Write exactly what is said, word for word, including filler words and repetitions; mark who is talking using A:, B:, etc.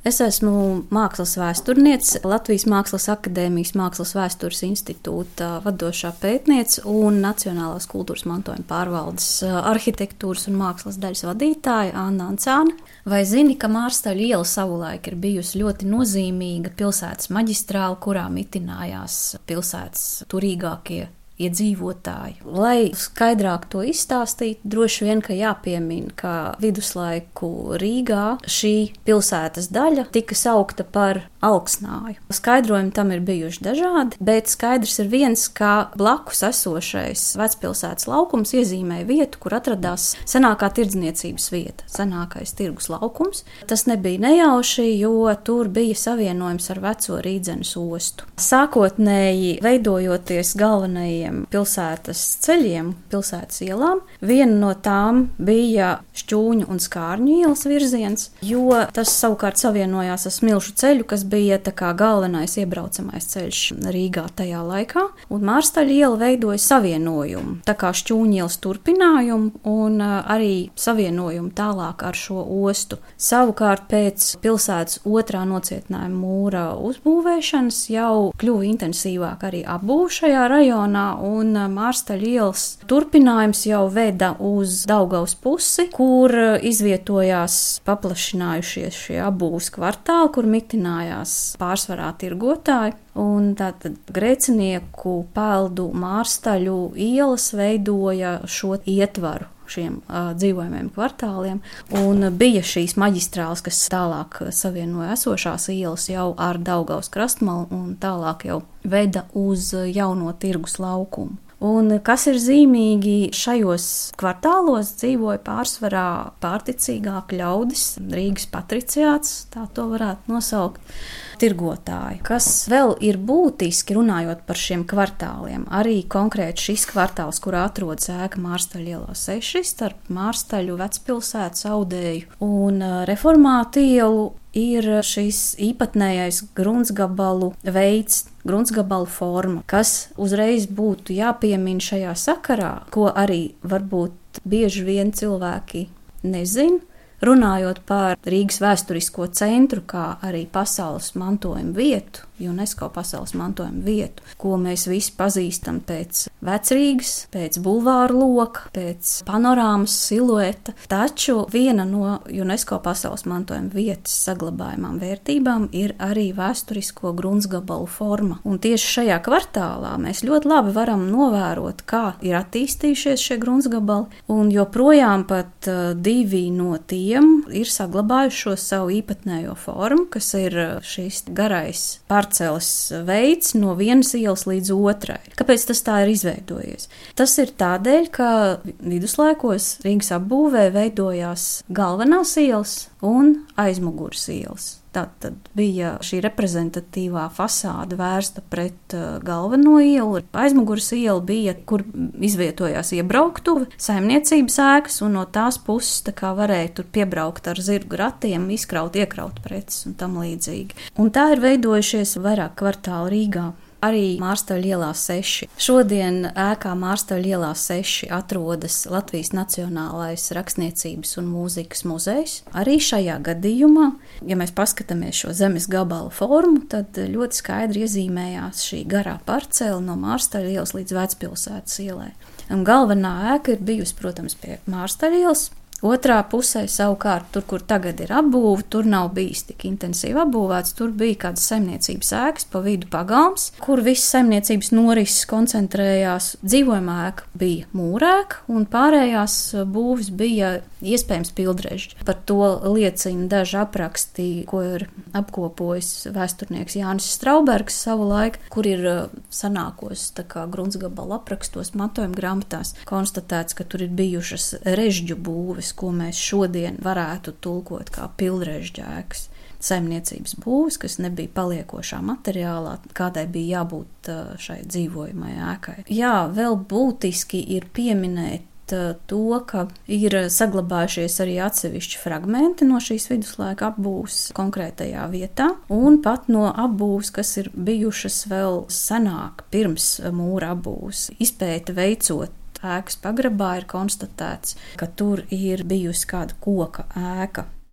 A: Es esmu mākslas vēsturniece, Latvijas Mākslas akadēmijas Mākslas vēstures institūta vadošā pētniece un Nacionālās kultūras mantojuma pārvaldes arhitektūras un mākslas daļas vadītāja Anna Ancāne. Vai zini, ka Mārstaļu iela savulaik ir bijusi ļoti nozīmīga pilsētas maģistrāle, kurā mitinājās pilsētas turīgākie iedzīvotāji? Lai skaidrāk to izstāstītu, droši vien, ka jāpiemina, ka viduslaiku Rīgā šī pilsētas daļa tika saukta par Alksnāju. Skaidrojumi tam ir bijuši dažādi, bet skaidrs ir viens, ka blakus esošais vecpilsētas laukums iezīmēja vietu, kur atradās senākā tirdzniecības vieta, senākais tirgus laukums. Tas nebija nejauši, jo tur bija savienojums ar veco Rīdzenes ostu. Sākotnēji veidojoties galvenajiem pilsētas ceļiem, pilsētas ielām, viena no tām bija Šķūņu un Skārņu ielas virziens, jo tas savukārt savienojās ar Smilšu ceļu, kas bija tā kā galvenais iebraucamais ceļš Rīgā tajā laikā, un Mārstaļu iela veidoja savienojumu, tā kā Šķūņu ielas turpinājumu un arī savienojumu tālāk ar šo ostu. Savukārt pēc pilsētas otrā nocietinājuma mūra uzbūvēšanas jau kļuva intensīvāk arī apbūve šajā rajonā, un Mārstaļu ielas turpinājums jau veda uz Daugavas pusi, kur izvietojās paplašinājušies šie apbūves kvartāli, kur mitinājās pārsvarā tirgotāji. Un tātad Grēcinieku, Peldu, Mārstaļu ielas veidoja šo ietvaru šiem uh, dzīvojumiem kvartāliem, un bija šīs maģistrāles, kas tālāk savienoja esošās ielas jau ar Daugavas krastmalu un tālāk jau veda uz jauno tirgus laukumu. Un kas ir zīmīgi, šajos kvartālos dzīvoja pārsvarā pārticīgāki ļaudis, Rīgas patriciāts, tā to varētu nosaukt, tirgotāji. Kas vēl ir būtiski runājot par šiem kvartāliem, arī konkrēti šis kvartāls, kurā atrodas ēka Mārstaļu ielā seši, starp Mārstaļu, Vecpilsētas, Audēju un Reformātu ielu, ir šis īpatnējais gruntsgabalu veids, gruntsgabalu forma, kas uzreiz būtu jāpiemina šajā sakarā, ko arī varbūt bieži vien cilvēki nezin. Runājot par Rīgas vēsturisko centru, kā arī pasaules mantojuma vietu, UNESCO pasaules mantojuma vietu, ko mēs visi pazīstam pēc Vecrīgas, pēc bulvāru loka, pēc panorāmas silueta, taču viena no UNESCO pasaules mantojuma vietas saglabājumām vērtībām ir arī vēsturisko gruntsgabalu forma. Un tieši šajā kvartālā mēs ļoti labi varam novērot, kā ir attīstījušies šie gruntsgabali, un joprojām pat uh, divi no tiem ir saglabājuši šo savu īpatnējo formu, kas ir šīs garais parceles veids no vienas ielas līdz otrai. Kāpēc tas tā ir izveidojies? Tas ir tādēļ, ka viduslaikos Rīgas apbūvē veidojās galvenās ielas un aizmugures ielas. Tātad bija šī reprezentatīvā fasāde vērsta pret uh, galveno ielu. Aizmugures iela bija, kur izvietojās iebrauktuve, saimniecības ēkas, un no tās puses tā kā varēja tur piebraukt ar zirgu ratiem, izkraut, iekraut preces un tam līdzīgi. Un tā ir veidojušies vairāk kvartāli Rīgā. Arī Mārstaļu ielā seši. Šodien ēkā Mārstaļu ielā seši atrodas Latvijas Nacionālais rakstniecības un mūzikas muzejs. Arī šajā gadījumā, ja mēs paskatāmies šo zemes gabalu formu, tad ļoti skaidri iezīmējās šī garā parcela no Mārstaļu ielas līdz Vecpilsētas ielai. Un galvenā ēka ir bijusi, protams, pie Mārstaļu ielas. Otrā pusē savukārt, tur, kur tagad ir apbūve, tur nav bijis tik intensīvi apbūvēts, tur bija kādas saimniecības ēkas, pa vidu pagalms, kur viss saimniecības norises koncentrējās. Dzīvojamā ēka bija mūrēka, un pārējās būvis bija iespējams pildrežģi. Par to liecina daži apraksti, ko ir apkopojis vēsturnieks Jānis Straubergs savu laiku, kur ir sanākos tā kā gruntsgabalu aprakstos, mantojuma grāmatās konstatēts, ka tur ir bijušas režģu būves, ko mēs šodien varētu tulkot kā pildrežģa ēkas. Saimniecības būves, kas nebija paliekošā materiālā, kādai bija jābūt šai dzīvojamai ēkai. Jā, vēl būtiski ir pieminēt to, ka ir saglabājušies arī atsevišķi fragmenti no šīs viduslaika apbūves konkrētajā vietā, un pat no apbūves, kas ir bijušas vēl senāk, pirms mūra apbūves. Izpēte veicot ēkas pagrabā ir konstatēts, ka tur ir bijusi kāda koka ēka.